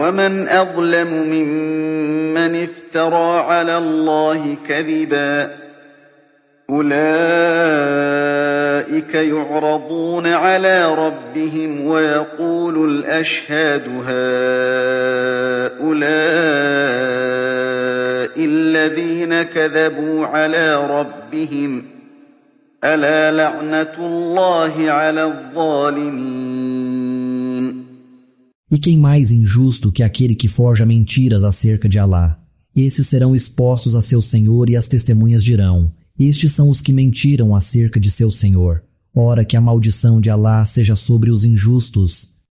ومن أظلم ممن افترى على الله كذبا أولئك يعرضون على ربهم ويقول الأشهاد هؤلاء الذين كذبوا على ربهم ألا لعنة الله على الظالمين. E quem mais injusto que aquele que forja mentiras acerca de Alá? Esses serão expostos a seu Senhor e as testemunhas dirão: estes são os que mentiram acerca de seu Senhor. Ora, que a maldição de Alá seja sobre os injustos.